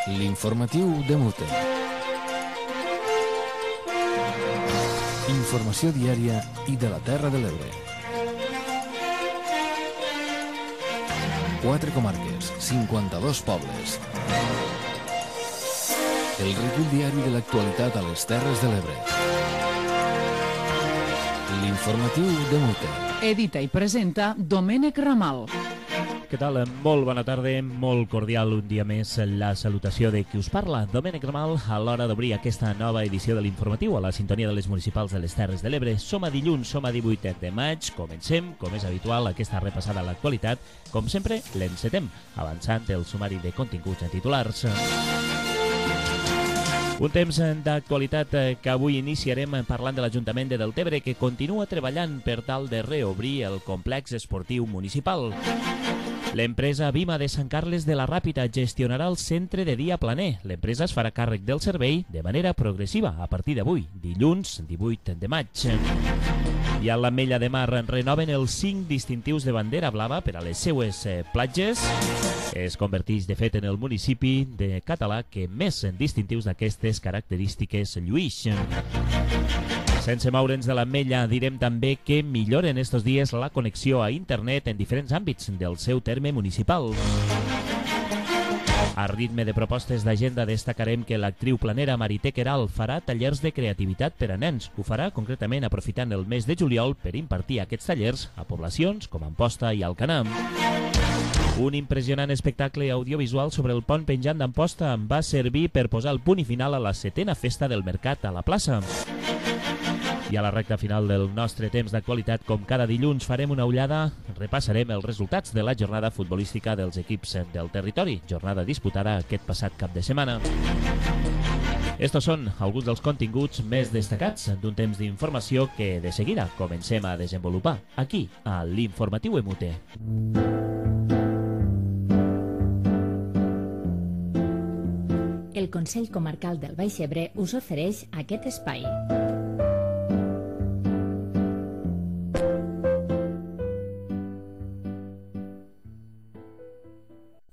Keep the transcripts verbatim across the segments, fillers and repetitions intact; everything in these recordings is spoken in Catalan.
L'informatiu de Mute. Informació diària i de la Terra de l'Ebre. Quatre comarques, cinquanta-dos pobles. El recull diari de l'actualitat a les Terres de l'Ebre. L'informatiu de Mute. Edita i presenta Domènec Ramal. Què tal? Molt bona tarda, molt cordial un dia més la salutació de qui us parla, Domènec Ramal, a l'hora d'obrir aquesta nova edició de l'informatiu a la sintonia de les municipals de les Terres de l'Ebre. Som a dilluns, som a divuit de maig, comencem, com és habitual, aquesta repassada a l'actualitat. Com sempre, l'encetem, avançant el sumari de continguts en titulars. Un temps d'actualitat que avui iniciarem parlant de l'Ajuntament de Deltebre, que continua treballant per tal de reobrir el complex esportiu municipal. L'empresa Vima de Sant Carles de la Ràpita gestionarà el centre de dia planer. L'empresa es farà càrrec del servei de manera progressiva a partir d'avui, dilluns divuit de maig. I a l'Ametlla de Mar renoven els cinc distintius de bandera blava per a les seues platges. Es converteix, de fet, en el municipi de català que més distintius d'aquestes característiques lluïx. Sense moure'ns de l'Ametlla, direm també que milloren estos dies la connexió a internet en diferents àmbits del seu terme municipal. A ritme de propostes d'agenda destacarem que l'actriu planera Marité Queralt farà tallers de creativitat per a nens. Ho farà concretament aprofitant el mes de juliol per impartir aquests tallers a poblacions com Amposta i Alcanar. Un impressionant espectacle audiovisual sobre el pont penjant d'Amposta va servir per posar el punt i final a la setena festa del mercat a la plaça. I a la recta final del nostre temps d'actualitat, com cada dilluns, farem una ullada, repassarem els resultats de la jornada futbolística dels equips del territori, jornada disputada aquest passat cap de setmana. Estos són alguns dels continguts més destacats d'un temps d'informació que de seguida comencem a desenvolupar aquí, a l'Informatiu E M U T E. El Consell Comarcal del Baix Ebre us ofereix aquest espai.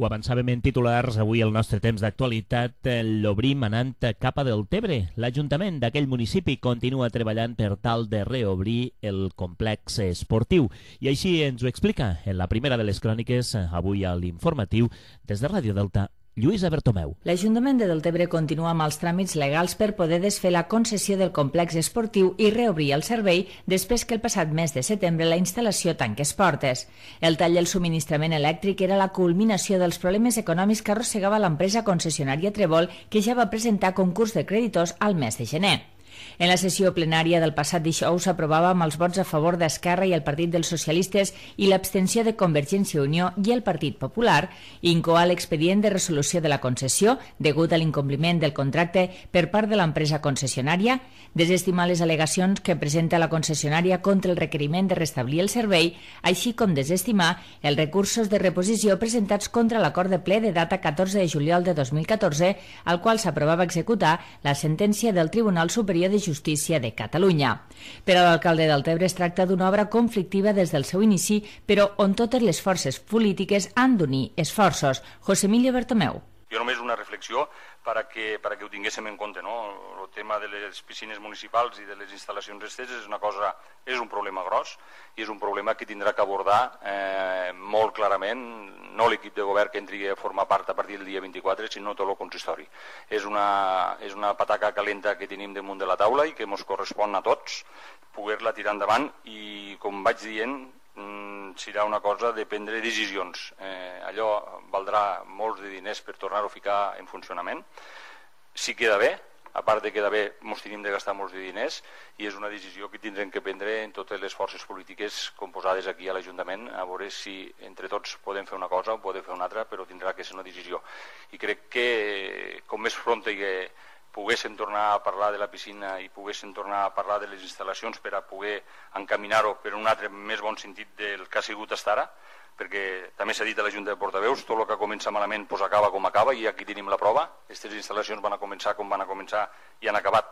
Ho avançàvem en titulars, avui el nostre temps d'actualitat l'obrim anant cap a Deltebre. L'Ajuntament d'aquell municipi continua treballant per tal de reobrir el complex esportiu. I així ens ho explica en la primera de les cròniques, avui a l'informatiu, des de Ràdio Delta, Lluïsa Bertomeu. L'Ajuntament de Deltebre continua amb els tràmits legals per poder desfer la concessió del complex esportiu i reobrir el servei després que el passat mes de setembre la instal·lació tanqués portes. El tall del subministrament elèctric era la culminació dels problemes econòmics que arrossegava l'empresa concessionària Trébol, que ja va presentar concurs de creditors al mes de gener. En la sessió plenària del passat dijous s'aprovava amb els vots a favor d'Esquerra i el Partit dels Socialistes i l'abstenció de Convergència i Unió i el Partit Popular incoar l'expedient de resolució de la concessió degut a l'incompliment del contracte per part de l'empresa concessionària, desestimar les al·legacions que presenta la concessionària contra el requeriment de restablir el servei, així com desestimar els recursos de reposició presentats contra l'acord de ple de data catorze de juliol de dos mil catorze, al qual s'aprovava executar la sentència del Tribunal Superior de Justícia de Catalunya. Per a l'alcalde de Deltebre es tracta d'una obra conflictiva des del seu inici, però on totes les forces polítiques han d'unir esforços. José Emilio Bertomeu. Jo només una reflexió perquè, perquè ho tinguéssim en compte, no? El tema de les piscines municipals i de les instal·lacions esteses és una cosa, és un problema gros i és un problema que tindrà que abordar eh, molt clarament, no l'equip de govern que entri a formar part a partir del dia vint-i-quatre, sinó tot el consistori. És una, és una pataca calenta que tenim damunt de la taula i que ens correspon a tots poder-la tirar endavant i, com vaig dient, serà una cosa de prendre decisions. Eh, allò valdrà molts de diners per tornar-ho a ficar en funcionament. Si queda bé, a part de quedar bé, ens tenim de gastar molts de diners i és una decisió que tindrem que prendre en totes les forces polítiques composades aquí a l'Ajuntament, a veure si entre tots podem fer una cosa o podem fer una altra, però tindrà que ser una decisió. I crec que com més pronta que poguéssim tornar a parlar de la piscina i poguéssim tornar a parlar de les instal·lacions per a poder encaminar-ho per un altre més bon sentit del que ha sigut fins ara, perquè també s'ha dit a la Junta de Portaveus, tot el que comença malament pues acaba com acaba i aquí tenim la prova. Aquestes instal·lacions van a començar com van a començar i han acabat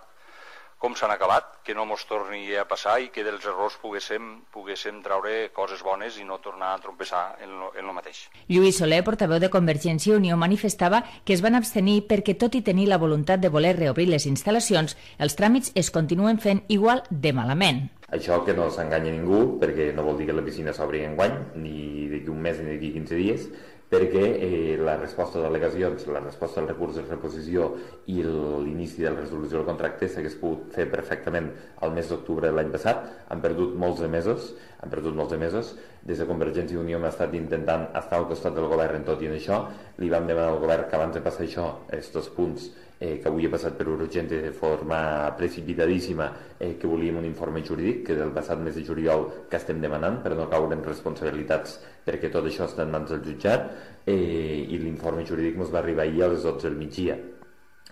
com s'han acabat, que no mos torni a passar i que dels errors poguéssim, poguéssim traure coses bones i no tornar a trompeçar en lo, en lo mateix. Lluís Soler, portaveu de Convergència i Unió, manifestava que es van abstenir perquè, tot i tenir la voluntat de voler reobrir les instal·lacions, els tràmits es continuen fent igual de malament. Això que no s'enganya ningú, perquè no vol dir que la piscina s'obri enguany, ni d'aquí un mes ni d'aquí quinze dies, perquè eh, la resposta d'al·legacions, la resposta al recurs de reposició i l'inici de la resolució del contracte s'hagués pogut fer perfectament al mes d'octubre de l'any passat. Han perdut molts de mesos, han perdut molts de mesos. Des de Convergència i Unió hem estat intentant estar al costat del govern en tot i en això. Li vam demanar al govern que abans de passar això, aquests punts eh, que avui ha passat per urgent de forma precipitadíssima, eh, que volíem un informe jurídic, que del passat mes de juliol que estem demanant per no caure en responsabilitats, perquè tot això està en mans del jutjat, eh, i l'informe jurídic ens va arribar ahir a les dotze del migdia,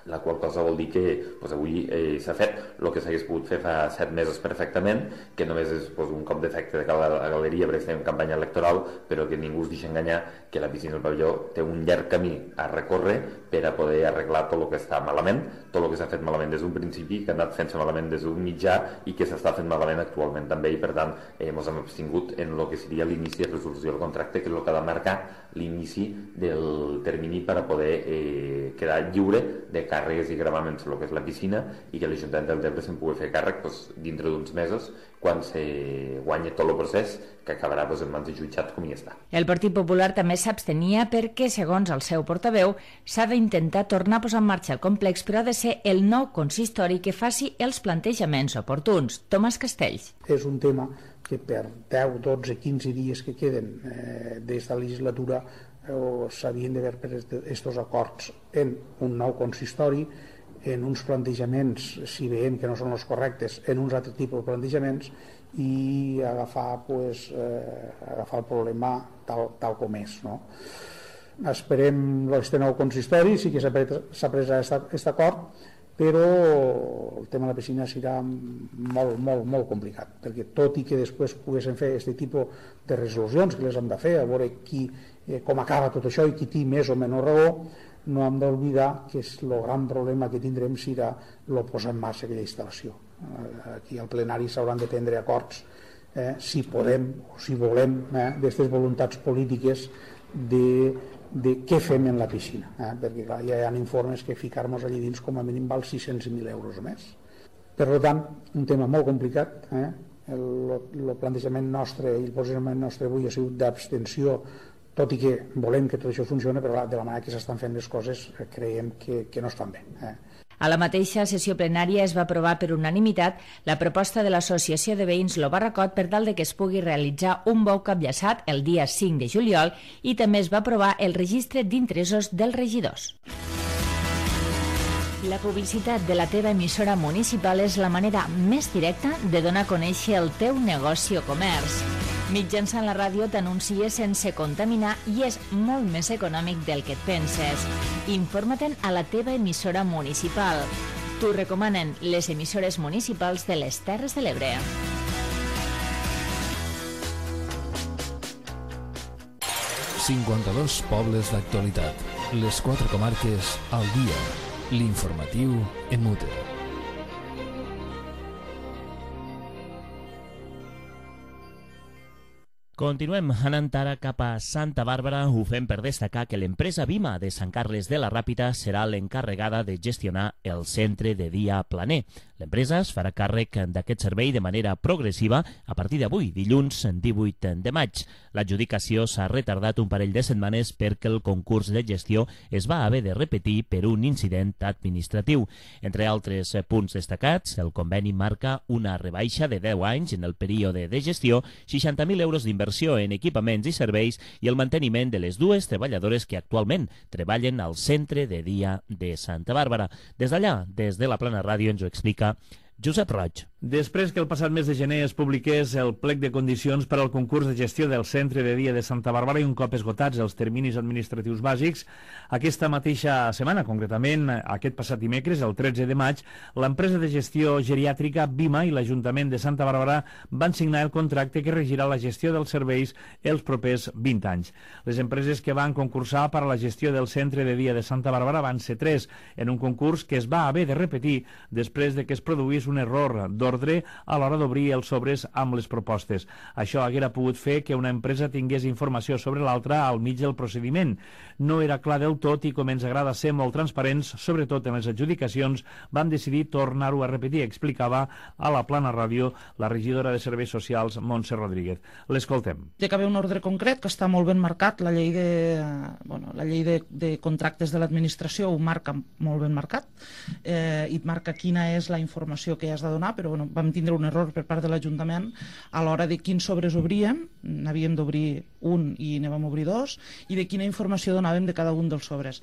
la qual cosa vol dir que pues, avui eh, s'ha fet el que s'hagués pogut fer fa set mesos perfectament, que només és pues, un cop d'efecte de gal a galeria perquè estem en campanya electoral, però que ningú es deixa enganyar que la piscina del pavelló té un llarg camí a recórrer per a poder arreglar tot el que està malament, tot el que s'ha fet malament des d'un principi, que ha anat fent-se malament des d'un mitjà i que s'està fent malament actualment també, i per tant eh, ens hem abstingut en el que seria l'inici de resolució del contracte, que és el que ha de marcar l'inici del termini per a poder eh, quedar lliure de càrregues i gravaments el que és la piscina, i que l'Ajuntament del Delta se'n pugui fer càrrec doncs, dintre d'uns mesos, quan se guanya tot el procés, que acabarà doncs, en mans de jutjat com hi està. El Partit Popular també s'abstenia perquè, segons el seu portaveu, s'ha d'intentar tornar a posar en marxa el complex, però ha de ser el nou consistori que faci els plantejaments oportuns. Tomàs Castells. És un tema que per deu, dotze, quinze dies que queden eh, des de la legislatura eh, s'havien d'haver pres aquests acords en un nou consistori, en uns plantejaments, si veiem que no són els correctes, en uns altres tipus de plantejaments, i agafar, pues, eh, agafar el problema tal, tal com és. No? Esperem aquest nou consistori, sí que s'ha pres aquest acord, però el tema de la piscina serà molt, molt, molt complicat, perquè tot i que després poguessin fer aquest tipus de resolucions que les hem de fer, a veure qui, eh, com acaba tot això i qui té més o menys raó, no hem d'oblidar que el gran problema que tindrem serà el posar en marxa aquella instal·lació. Aquí al plenari s'hauran de prendre acords, eh, si podem o si volem, eh, d'aquestes voluntats polítiques de, de què fem en la piscina, eh, perquè clar, ja hi ha informes que ficar-nos allà dins com a mínim val sis-cents mil euros o més. Per tant, un tema molt complicat, eh? el, el plantejament nostre i el posicionament nostre avui ha sigut d'abstenció, tot i que volem que tot això funcioni, però de la manera que s'estan fent les coses creiem que, que no estan bé. Eh? A la mateixa sessió plenària es va aprovar per unanimitat la proposta de l'Associació de Veïns Lo Barracot per tal de que es pugui realitzar un bou capllaçat el dia cinc de juliol, i també es va aprovar el registre d'interessos dels regidors. La publicitat de la teva emissora municipal és la manera més directa de donar a conèixer el teu negoci o comerç. Mitjançant la ràdio t'anuncies sense contaminar i és molt més econòmic del que et penses. Informa-te'n a la teva emissora municipal. T'ho recomanen les emissores municipals de les Terres de l'Ebre. cinquanta-dos pobles d'actualitat. Les quatre comarques al dia. L'informatiu en Mute. Continuem anant ara cap a Santa Bàrbara. Ho fem per destacar que l'empresa Vima de Sant Carles de la Ràpita serà l'encarregada de gestionar el centre de dia planer. L'empresa es farà càrrec d'aquest servei de manera progressiva a partir d'avui, dilluns divuit de maig. L'adjudicació s'ha retardat un parell de setmanes perquè el concurs de gestió es va haver de repetir per un incident administratiu. Entre altres punts destacats, el conveni marca una rebaixa de deu anys en el període de gestió, seixanta mil euros d'inversió en equipaments i serveis i el manteniment de les dues treballadores que actualment treballen al centre de dia de Santa Bàrbara. Des d'allà, des de la Plana Ràdio, ens ho explica Josep Roig. Després que el passat mes de gener es publiqués el plec de condicions per al concurs de gestió del Centre de Dia de Santa Bàrbara i un cop esgotats els terminis administratius bàsics, aquesta mateixa setmana, concretament aquest passat dimecres, el tretze de maig, l'empresa de gestió geriàtrica Bima i l'Ajuntament de Santa Bàrbara van signar el contracte que regirà la gestió dels serveis els propers vint anys. Les empreses que van concursar per a la gestió del Centre de Dia de Santa Bàrbara van ser tres, en un concurs que es va haver de repetir després de que es produís un error d'ordre a l'hora d'obrir els sobres amb les propostes. Això haguera pogut fer que una empresa tingués informació sobre l'altra al mig del procediment. No era clar del tot i com ens agrada ser molt transparents, sobretot en les adjudicacions, vam decidir tornar-ho a repetir, explicava a la Plana Ràdio la regidora de Serveis Socials, Montse Rodríguez. L'escoltem. Té que haver un ordre concret que està molt ben marcat, la llei de, bueno, la llei de, de contractes de l'administració ho marca molt ben marcat, eh, i marca quina és la informació que has de donar, però bueno, vam tindre un error per part de l'Ajuntament a l'hora de quins sobres obríem, n'havíem d'obrir un i ne vam obrir dos, i de quina informació donàvem de cada un dels sobres.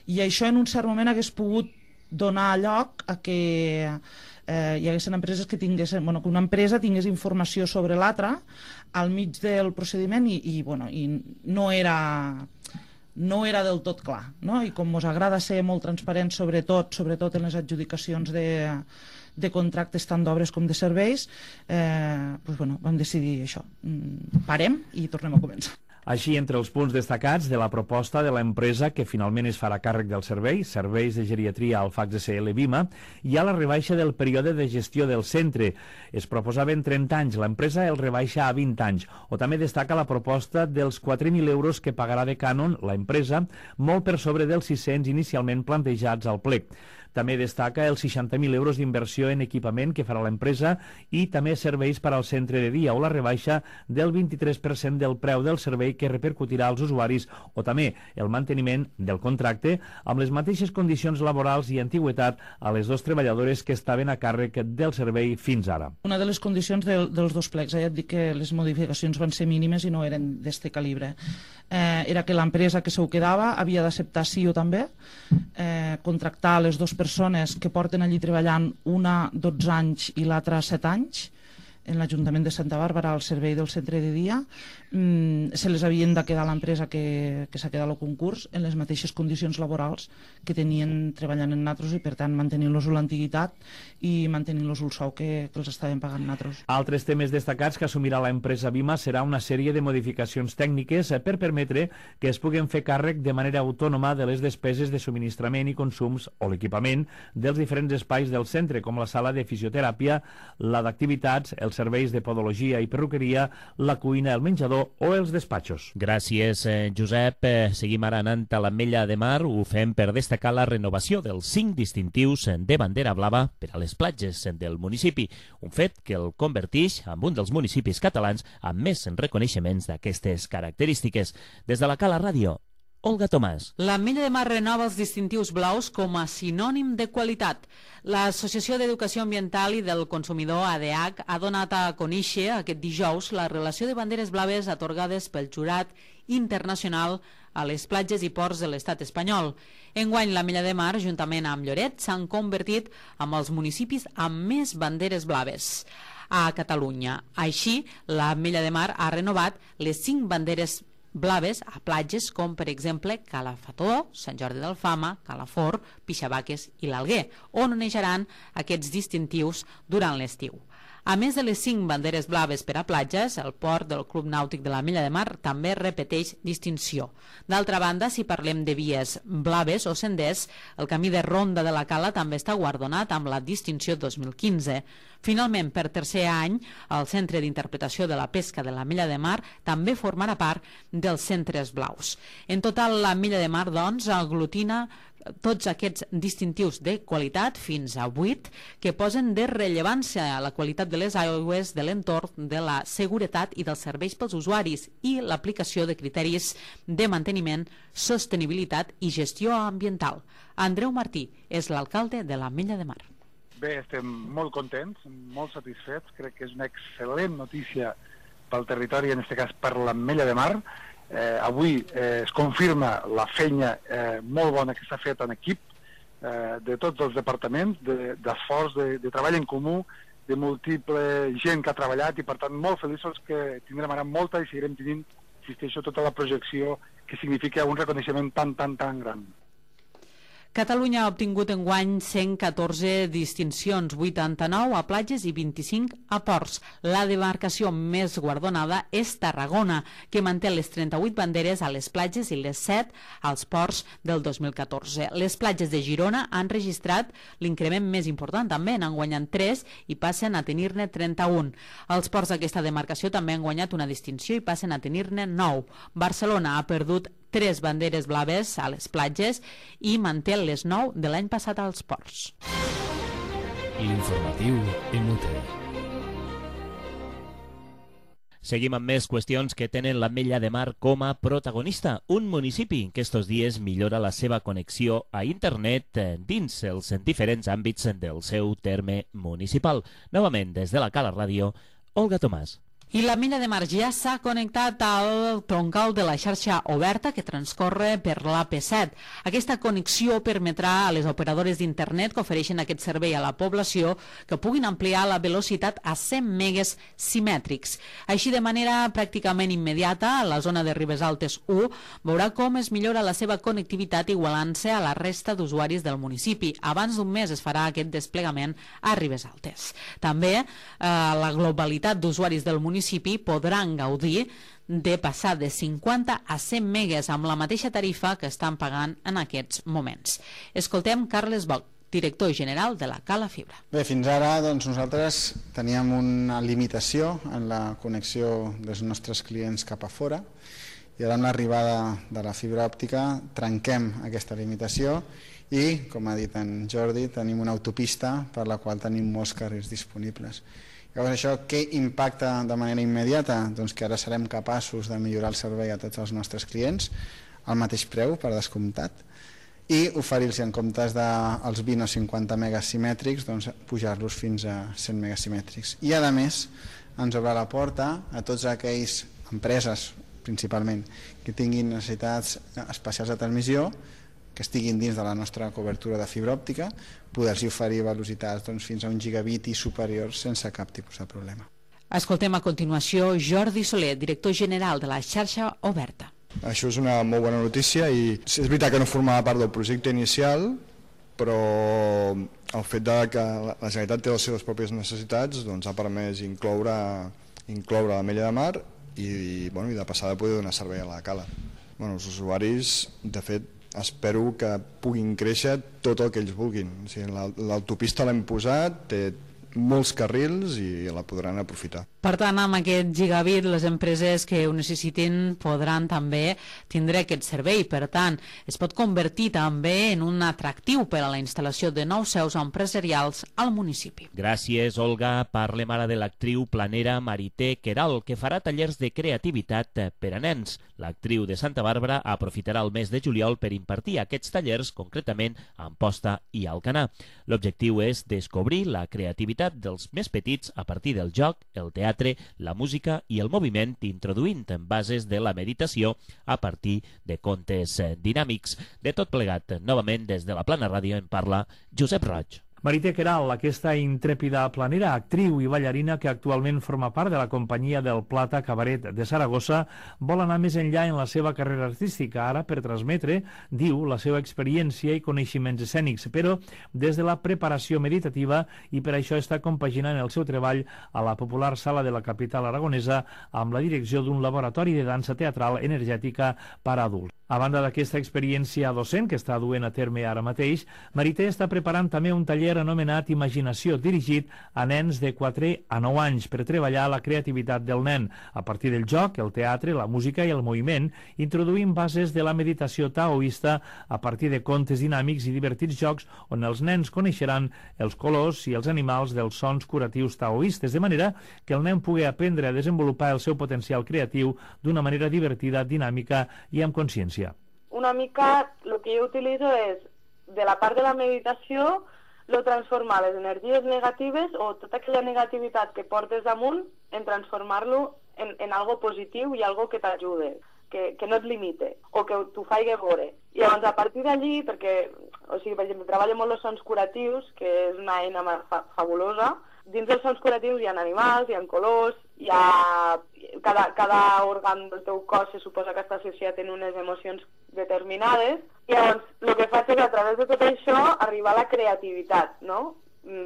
I això en un cert moment hagués pogut donar lloc a que eh, hi haguessin empreses que tinguessin, bueno, que una empresa tingués informació sobre l'altra al mig del procediment i, i, bueno, i no era... no era del tot clar, no? I com us agrada ser molt transparents, sobretot, sobretot en les adjudicacions de, de contractes tant d'obres com de serveis, eh, doncs, bueno, vam decidir això. Parem i tornem a començar. Així, entre els punts destacats de la proposta de l'empresa que finalment es farà càrrec del servei, Serveis de Geriatria Alfax S L Bima, hi ha la rebaixa del període de gestió del centre. Es proposaven trenta anys, l'empresa el rebaixa a vint anys. O també destaca la proposta dels quatre mil euros que pagarà de cànon l'empresa, molt per sobre dels sis-cents inicialment plantejats al plec. També destaca els seixanta mil euros d'inversió en equipament que farà l'empresa i també serveis per al centre de dia o la rebaixa del vint-i-tres per cent del preu del servei que repercutirà als usuaris o també el manteniment del contracte amb les mateixes condicions laborals i antigüitat a les dues treballadores que estaven a càrrec del servei fins ara. Una de les condicions de, dels dos plecs, eh, ja et dic que les modificacions van ser mínimes i no eren d'este calibre. Eh, era que l'empresa que s'ho quedava havia d'acceptar sí o també, eh, contractar les dues persones que porten allí treballant una dotze anys i l'altra set anys en l'Ajuntament de Santa Bàrbara al servei del centre de dia. Mm, se les havien de quedar a l'empresa que, que s'ha quedat al concurs en les mateixes condicions laborals que tenien treballant en natros i per tant mantenint-los l'antiguitat i mantenint-los el sou que, que els estaven pagant natros. Altres temes destacats que assumirà l'empresa Bima serà una sèrie de modificacions tècniques per permetre que es puguen fer càrrec de manera autònoma de les despeses de subministrament i consums o l'equipament dels diferents espais del centre, com la sala de fisioteràpia, la d'activitats, els serveis de podologia i perruqueria, la cuina, el menjador o els despatxos. Gràcies, eh, Josep. Eh, seguim ara anant a l'Ametlla de Mar. Ho fem per destacar la renovació dels cinc distintius de bandera blava per a les platges del municipi, un fet que el converteix en un dels municipis catalans amb més reconeixements d'aquestes característiques. Des de la Cala Ràdio, Olga Tomàs. L'Ametlla de Mar renova els distintius blaus com a sinònim de qualitat. L'Associació d'Educació Ambiental i del Consumidor, A D H, ha donat a conèixer aquest dijous la relació de banderes blaves atorgades pel jurat internacional a les platges i ports de l'estat espanyol. Enguany, l'Ametlla de Mar, juntament amb Lloret, s'han convertit en els municipis amb més banderes blaves a Catalunya. Així, l'Ametlla de Mar ha renovat les cinc banderes blaves a platges com, per exemple, Calafató, Sant Jordi d'Alfama, Calafort, Pixabaques i l'Alguer, on oneixaran aquests distintius durant l'estiu. A més de les cinc banderes blaves per a platges, el port del Club Nàutic de l'Ametlla de Mar també repeteix distinció. D'altra banda, si parlem de vies blaves o senders, el camí de Ronda de la Cala també està guardonat amb la distinció dos mil quinze. Finalment, per tercer any, el Centre d'Interpretació de la Pesca de l'Ametlla de Mar també formarà part dels centres blaus. En total, l'Ametlla de Mar, doncs, aglutina tots aquests distintius de qualitat, fins a vuit, que posen de rellevància a la qualitat de les aigües, de l'entorn, de la seguretat i dels serveis pels usuaris i l'aplicació de criteris de manteniment, sostenibilitat i gestió ambiental. Andreu Martí és l'alcalde de l'Ametlla de Mar. Bé, estem molt contents, molt satisfets. Crec que és una excel·lent notícia pel territori, en aquest cas per l'Ametlla de Mar. Eh, avui eh, es confirma la feina eh, molt bona que s'ha fet en equip eh, de tots els departaments, d'esforç, de, de treball en comú de múltiple gent que ha treballat i, per tant, molt feliços que tindrem ara molta i seguirem tenint, insisteixo, tota la projecció que significa un reconeixement tan, tan, tan gran. Catalunya ha obtingut enguany cent catorze distincions, vuitanta-nou a platges i vint-i-cinc a ports. La demarcació més guardonada és Tarragona, que manté les trenta-vuit banderes a les platges i les set als ports del dos mil catorze. Les platges de Girona han registrat l'increment més important també, n'han guanyat tres i passen a tenir-ne trenta-un. Els ports d'aquesta demarcació també han guanyat una distinció i passen a tenir-ne nou. Barcelona ha perdut tres banderes blaves a les platges i manté les nou de l'any passat als ports. L'informatiu en U T E. Seguim amb més qüestions que tenen l'Ametlla de Mar com a protagonista. Un municipi que estos dies millora la seva connexió a internet dins els diferents àmbits del seu terme municipal. Novament, des de la Cala Ràdio, Olga Tomàs. I l'Ametlla de Mar ja s'ha connectat al troncal de la xarxa oberta que transcorre per l'A P set. Aquesta connexió permetrà a les operadores d'internet que ofereixen aquest servei a la població que puguin ampliar la velocitat a cent megues simètrics. Així, de manera pràcticament immediata, la zona de Ribes Altes u veurà com es millora la seva connectivitat igualant-se a la resta d'usuaris del municipi. Abans d'un mes es farà aquest desplegament a Ribes Altes. També eh, la globalitat d'usuaris del municipi podran gaudir de passar de cinquanta a cent megues amb la mateixa tarifa que estan pagant en aquests moments. Escoltem Carles Boc, director general de la Cala Fibra. Bé, fins ara doncs, nosaltres teníem una limitació en la connexió dels nostres clients cap a fora i ara amb l'arribada de la fibra òptica trenquem aquesta limitació i, com ha dit en Jordi, tenim una autopista per la qual tenim molts carrers disponibles. Llavors, això què impacta de manera immediata? Doncs que ara serem capaços de millorar el servei a tots els nostres clients al mateix preu, per descomptat, i oferir-los en comptes dels vint o cinquanta megas simètrics, doncs pujar-los fins a cent megas simètrics. I a més, ens obre la porta a tots aquells empreses, principalment, que tinguin necessitats especials de transmissió, que estiguin dins de la nostra cobertura de fibra òptica, poder-los oferir velocitats doncs, fins a un gigabit i superior sense cap tipus de problema. Escoltem a continuació Jordi Soler, director general de la xarxa oberta. Això és una molt bona notícia i és veritat que no formava part del projecte inicial, però el fet de que la Generalitat té les seves pròpies necessitats doncs, ha permès incloure, incloure l'Ametlla de Mar i, bueno, i de passar de poder donar servei a la Cala. Bueno, els usuaris, de fet, espero que puguin créixer tot el que ells vulguin. O sigui, l'autopista l'hem posat, té molts carrils i la podran aprofitar. Per tant, amb aquest gigabit, les empreses que ho necessitin podran també tindre aquest servei. Per tant, es pot convertir també en un atractiu per a la instal·lació de nous seus empresarials al municipi. Gràcies, Olga. Parlem ara de l'actriu planera Marité Queralt, que farà tallers de creativitat per a nens. L'actriu de Santa Bàrbara aprofitarà el mes de juliol per impartir aquests tallers, concretament a Amposta i Alcanar. L'objectiu és descobrir la creativitat dels més petits a partir del joc, el teatre, la música i el moviment, introduint en bases de la meditació a partir de contes dinàmics. De tot plegat, novament des de la Plana Ràdio en parla Josep Roig. Marité Queralt, aquesta intrèpida planera, actriu i ballarina que actualment forma part de la companyia del Plata Cabaret de Saragossa, vol anar més enllà en la seva carrera artística, ara per transmetre, diu, la seva experiència i coneixements escènics, però des de la preparació meditativa, i per això està compaginant el seu treball a la popular sala de la capital aragonesa amb la direcció d'un laboratori de dansa teatral energètica per a adults. A banda d'aquesta experiència docent que està duent a terme ara mateix, Marité està preparant també un taller anomenat Imaginació, dirigit a nens de quatre a nou anys per treballar la creativitat del nen a partir del joc, el teatre, la música i el moviment, introduint bases de la meditació taoista a partir de contes dinàmics i divertits jocs on els nens coneixeran els colors i els animals dels sons curatius taoistes, de manera que el nen pugui aprendre a desenvolupar el seu potencial creatiu d'una manera divertida, dinàmica i amb consciència. Una mica el que jo utilitzo és, de la part de la meditació, lo transformar les energies negatives o tota aquella negativitat que portes damunt en transformar-lo en, en algo positiu i algo que t'ajude, que, que no et limite o que t'ho faci veure. I llavors, a partir d'allí, perquè, o sigui, per exemple, treballo molt els sons curatius, que és una eina fa fabulosa, dins dels sons curatius hi ha animals, hi ha colors, hi ha... Cada, cada òrgan del teu cos se suposa que està associat en unes emocions determinades. I llavors, el que faig és, a través de tot això, arribar a la creativitat, no?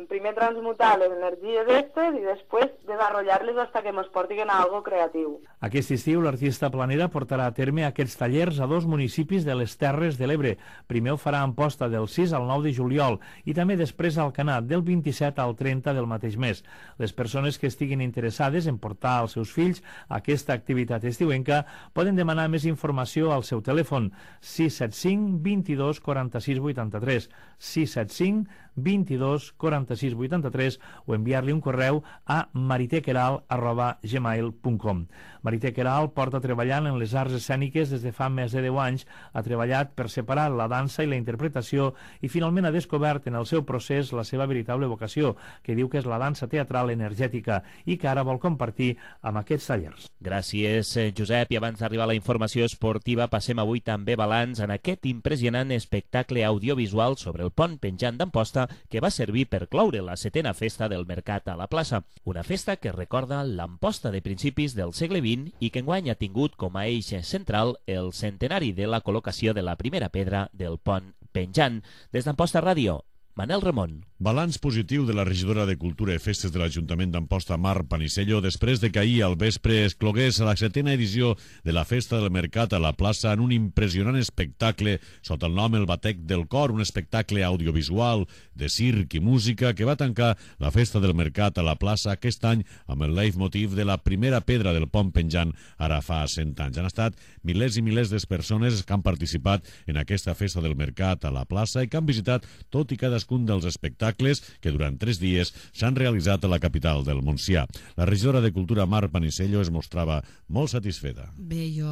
Primer transmutar les energies aquestes i després desenvolupar-les fins que ens portin a algo creatiu. Aquest estiu l'artista planera portarà a terme aquests tallers a dos municipis de les Terres de l'Ebre. Primer ho farà a Amposta del sis al nou de juliol i també després al Alcanar del vint-i-set al trenta del mateix mes. Les persones que estiguin interessades en portar els seus fills a aquesta activitat estiuenca poden demanar més informació al seu telèfon sis set cinc, vint-i-dos, quaranta-sis, vuitanta-tres, sis set cinc, vint-i-dos, quaranta-sis, vuitanta-tres o enviar-li un correu a maritequeral arroba gmail punt com. Marité Queralt porta treballant en les arts escèniques des de fa més de deu anys, ha treballat per separar la dansa i la interpretació i finalment ha descobert en el seu procés la seva veritable vocació, que diu que és la dansa teatral energètica i que ara vol compartir amb aquests tallers. Gràcies, Josep. I abans d'arribar a la informació esportiva, passem avui també balanç en aquest impressionant espectacle audiovisual sobre el pont penjant d'Amposta que va servir per cloure la setena festa del Mercat a la plaça. Una festa que recorda l'Amposta de principis del segle vint i que enguany ha tingut com a eix central el centenari de la col·locació de la primera pedra del pont penjant. Des d'Amposta Ràdio, Manel Ramon. Balanç positiu de la regidora de Cultura i Festes de l'Ajuntament d'Amposta, Mar Panisello, després de que ahir al vespre es clogués la setena edició de la Festa del Mercat a la plaça en un impressionant espectacle sota el nom El Batec del Cor, un espectacle audiovisual de circ i música que va tancar la Festa del Mercat a la plaça aquest any amb el leitmotiv de la primera pedra del pont penjant ara fa cent anys. Han estat milers i milers de persones que han participat en aquesta Festa del Mercat a la plaça i que han visitat tot i cadascun dels espectacles que durant tres dies s'han realitzat a la capital del Montsià. La regidora de Cultura, Mar Panisello, es mostrava molt satisfeta. Bé, jo,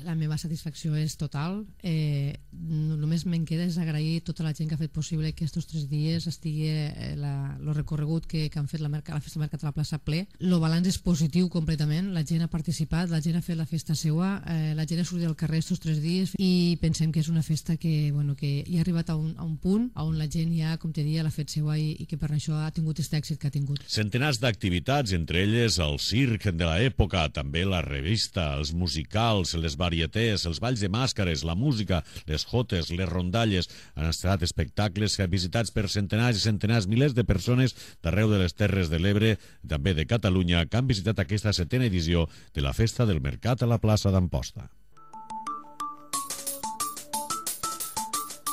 la meva satisfacció és total. Eh, només me'n queda és agrair tota la gent que ha fet possible que aquests tres dies estigui eh, la, el recorregut que, que han fet la, merca, la Festa del Mercat a la plaça ple. El balanç és positiu completament, la gent ha participat, la gent ha fet la festa seua, eh, la gent ha sortit al carrer aquests tres dies i pensem que és una festa que, bueno, que hi ha arribat a un, a un punt on la gent ja, com te dia, l'ha fet seua i, i que per això ha tingut aquest èxit que ha tingut. Centenars d'activitats, entre elles el circ de l'època, també la revista, els musicals, les varietés, els balls de màscares, la música, les jotes, les rondalles, han estat espectacles visitats per centenars i centenars, milers de persones d'arreu de les Terres de l'Ebre, també de Catalunya, que han visitat aquesta setena edició de la Festa del Mercat a la plaça d'Amposta.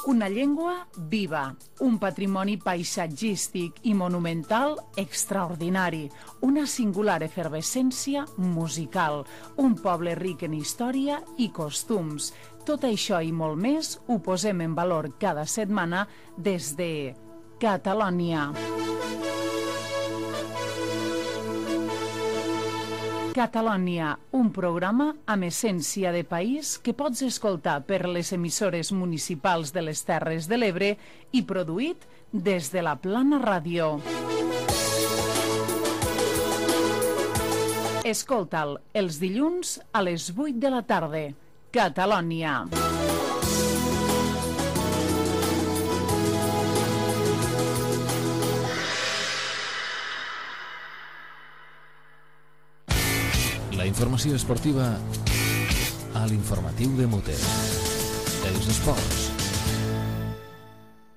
Una llengua viva, un patrimoni paisatgístic i monumental extraordinari, una singular efervescència musical, un poble ric en història i costums. Tot això i molt més ho posem en valor cada setmana des de Catalònia. Catalònia, un programa amb essència de país que pots escoltar per les emissores municipals de les Terres de l'Ebre i produït des de la Plana Ràdio. Escolta'l els dilluns a les vuit de la tarda. Catalònia. La informació esportiva a l'informatiu de Mote. Els esports.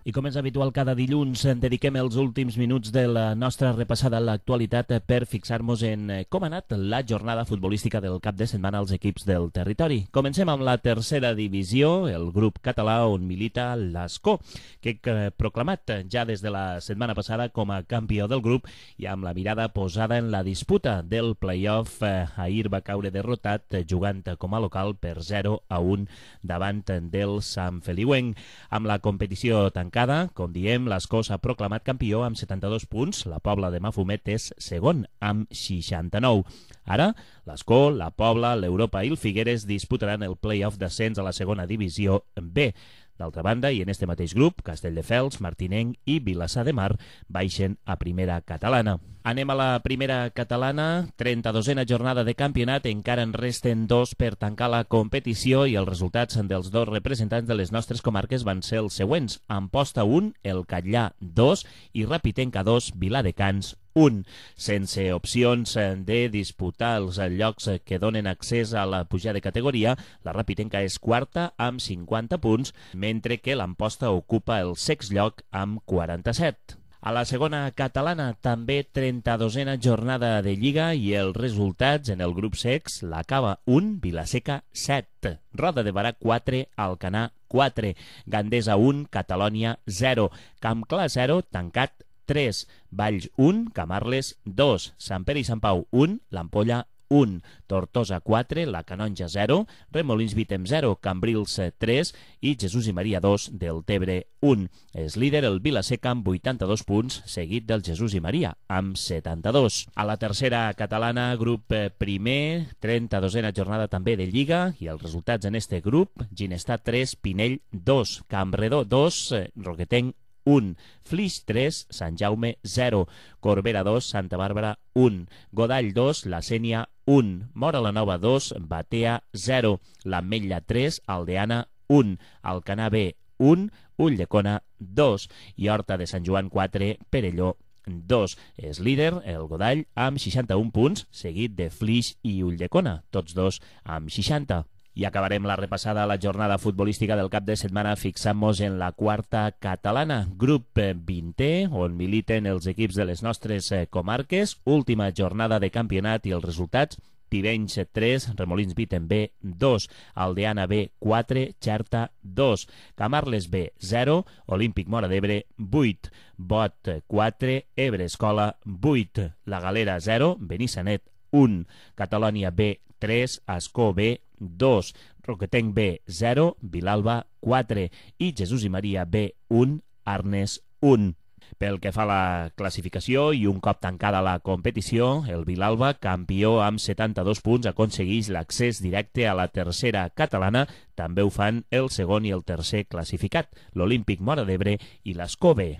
I com és habitual cada dilluns, dediquem els últims minuts de la nostra repassada a l'actualitat per fixar-nos en com ha anat la jornada futbolística del cap de setmana als equips del territori. Comencem amb la tercera divisió, el grup català on milita l'Ascó, que ha proclamat ja des de la setmana passada com a campió del grup i amb la mirada posada en la disputa del play-off. Ahir va caure derrotat jugant com a local per zero a un davant del Sant Feliuenc. Amb la competició tancada, com diem, l'Ascó s'ha proclamat campió amb setanta-dos punts. La Pobla de Mafumet és segon amb seixanta-nou. Ara, l'Ascó, la Pobla, l'Europa i el Figueres disputaran el play-off d'ascens a la segona divisió B. D'altra banda, i en este mateix grup, Castelldefels, Martinenc i Vilassar de Mar baixen a primera catalana. Anem a la primera catalana, trenta-dosena jornada de campionat, encara en resten dos per tancar la competició i els resultats dels dos representants de les nostres comarques van ser els següents. Amposta un, el Catllà dos i Rapitenca dos, Viladecans un, sense opcions de disputar els llocs que donen accés a la pujada de categoria. La Rapitenca és quarta amb cinquanta punts, mentre que l'Amposta ocupa el sexte lloc amb quaranta-set. A la segona catalana també trenta-dosena jornada de Lliga i els resultats en el grup sex: l'Acaba un, Vilaseca set, Roda de Barà quatre, Alcanar quatre, Gandesa un, Catalònia zero, Camp Clar zero, Tancat tres, Valls un, Camarles dos, Sant Pere i Sant Pau un, l'Ampolla un, Tortosa quatre, la Canonja zero, Remolins Vitem zero, Cambrils tres i Jesús i Maria dos, Deltebre un. És líder el Vilaseca amb vuitanta-dos punts, seguit del Jesús i Maria amb setanta-dos. A la tercera catalana, grup primer, trenta-dosena jornada també de Lliga, i els resultats en este grup: Ginestar tres, Pinell dos, Campredó dos, Roquetenc un, Flix tres, Sant Jaume zero, Corbera dos, Santa Bàrbara un, Godall dos, La Sénia un, Móra la Nova dos, Batea zero, l'Ametlla tres, Aldeana un, Alcanar B un, Ulldecona dos i Horta de Sant Joan quatre, Perelló dos. És líder el Godall amb seixanta-un punts, seguit de Flix i Ulldecona, tots dos amb seixanta. I acabarem la repassada a la jornada futbolística del cap de setmana fixant-nos en la quarta catalana, grup vintè, on militen els equips de les nostres comarques. Última jornada de campionat i els resultats: Tivenys tres, Remolins Vitem B dos, Aldeana B quatre, Xerta dos, Camarles B zero, Olímpic Móra d'Ebre vuit, Bot quatre, Ebre Escola vuit, La Galera zero, Benissanet un, Catalònia B tres, Ascó B dos, Roquetenc B zero, Vilalba quatre i Jesús i Maria B un, Arnes un. Pel que fa a la classificació i un cop tancada la competició, el Vilalba, campió amb setanta-dos punts, aconsegueix l'accés directe a la tercera catalana. També ho fan el segon i el tercer classificat, l'Olímpic Móra d'Ebre i l'Ascó B.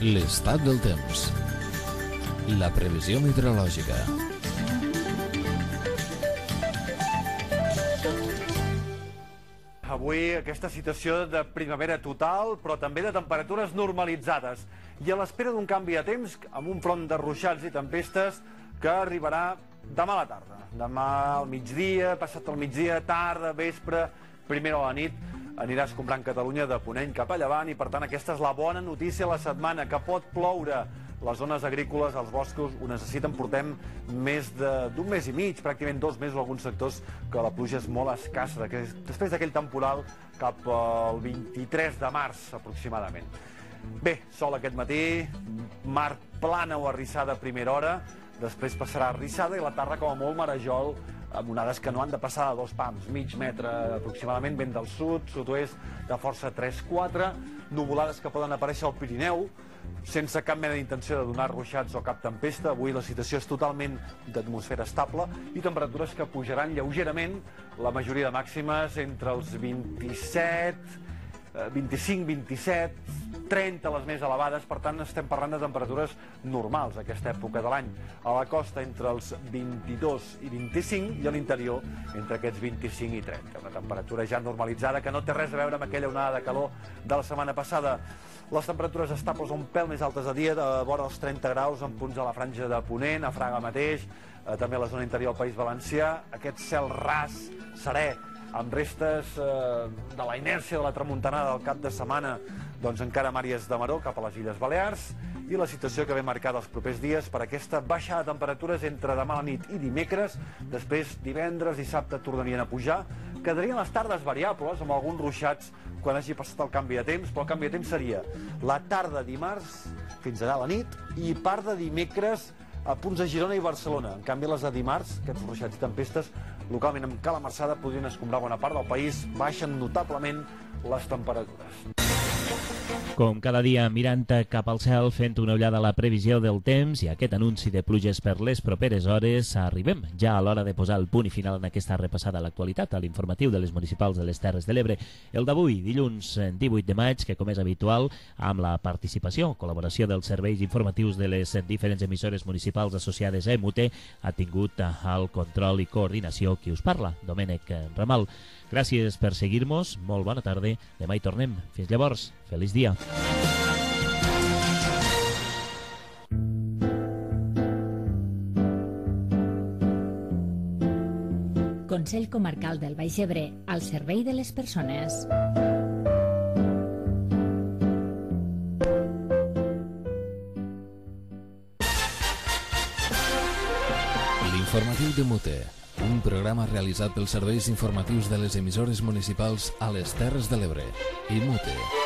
L'estat del temps. La previsió meteorològica. Avui aquesta situació de primavera total, però també de temperatures normalitzades. I a l'espera d'un canvi de temps, amb un front de ruixats i tempestes que arribarà demà a la tarda. Demà al migdia, passat el migdia, tarda, vespre, primera a la nit, anirà escombrant Catalunya de ponent cap a llevant i, per tant, aquesta és la bona notícia a la setmana, que pot ploure. Les zones agrícoles, els boscos, ho necessiten. Portem més d'un mes i mig, pràcticament dos mesos, alguns sectors, que la pluja és molt escassa, després d'aquell temporal cap al vint-i-tres de març, aproximadament. Bé, sol aquest matí, mar plana o arrissada a primera hora, després passarà arrissada i la tarda com a molt marejol, amb onades que no han de passar de dos pams, mig metre aproximadament, vent del sud, sud-oest, de força tres quatre, nuvolades que poden aparèixer al Pirineu, sense cap mena d'intenció de donar ruixats o cap tempesta. Avui la situació és totalment d'atmosfera estable i temperatures que pujaran lleugerament, la majoria de màximes entre els vint-i-set, vint-i-cinc, vint-i-set, trenta les més elevades, per tant estem parlant de temperatures normals a aquesta època de l'any. A la costa entre els vint-i-dos i vint-i-cinc i a l'interior entre aquests vint-i-cinc i trenta. Una temperatura ja normalitzada que no té res a veure amb aquella onada de calor de la setmana passada. Les temperatures estables un pèl més altes de dia, de vora els trenta graus en punts de la franja de Ponent, a Fraga mateix, eh, també a la zona interior del País Valencià. Aquest cel ras, serè, amb restes eh, de la inèrcia de la tramuntanada del cap de setmana, doncs encara amb àrees de maror cap a les Illes Balears, i la situació que ve marcada els propers dies per aquesta baixada de temperatures entre demà a la nit i dimecres. Després, divendres, dissabte, tornarien a pujar. Quedarien les tardes variables, amb alguns ruixats quan hagi passat el canvi de temps, però el canvi de temps seria la tarda dimarts fins allà a la nit i part de dimecres a punts de Girona i Barcelona. En canvi, les de dimarts, aquests ruixats i tempestes, localment amb cala marçada, podrien escombrar bona part del país, baixen notablement les temperatures. Com cada dia, mirant cap al cel, fent una ullada a la previsió del temps i aquest anunci de pluges per les properes hores, arribem ja a l'hora de posar el punt i final en aquesta repassada a l'actualitat, a l'informatiu de les municipals de les Terres de l'Ebre. El d'avui, dilluns divuit de maig, que com és habitual, amb la participació, col·laboració dels serveis informatius de les diferents emissores municipals associades a E M U T, ha tingut el control i coordinació qui us parla, Domènec Ramal. Gràcies per seguir-nos, molt bona tarda, demà hi tornem. Fins llavors, feliç dia. Consell Comarcal del Baix Ebre, al servei de les persones. L'informatiu de Mute, un programa realitzat pels serveis informatius de les emissores municipals a les Terres de l'Ebre i Mute.